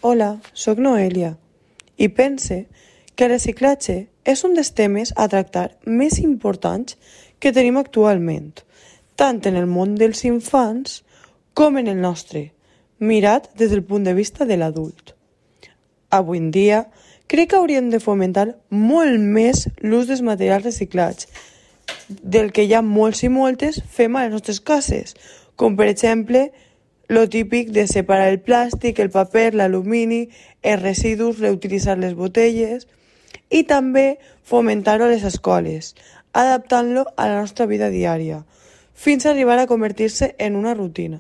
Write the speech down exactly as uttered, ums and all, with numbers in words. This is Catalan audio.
Hola, sóc Noelia i pense que el reciclatge és un dels temes a tractar més importants que tenim actualment, tant en el món dels infants com en el nostre, mirat des del punt de vista de l'adult. Avui en dia, crec que hauríem de fomentar molt més l'ús dels materials reciclats, del que ja molts i moltes fem a les nostres cases, com per exemple lo típic de separar el plàstic, el paper, l'alumini, els residus, reutilitzar les botelles i també fomentar-ho a les escoles, adaptant-lo a la nostra vida diària, fins a arribar a convertir-se en una rutina.